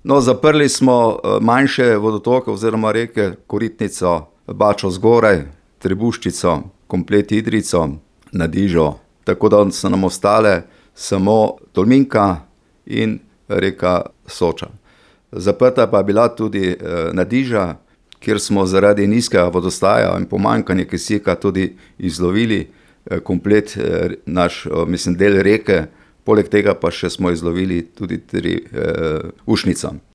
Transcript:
No, zaprli smo manjše vodotoke oziroma reke, Koritnico, Bačo zgoraj, Trebuščico, komplet Idrijco, Nadižo. Tako da so nam ostale samo Tolminka in reka Soča. Zaprta pa je bila tudi Nadiža, kjer smo zaradi nizkega vodostaja in pomanjkanja kisika tudi izlovili komplet naš, del reke, poleg tega pa še smo izlovili tudi 3 ušnice.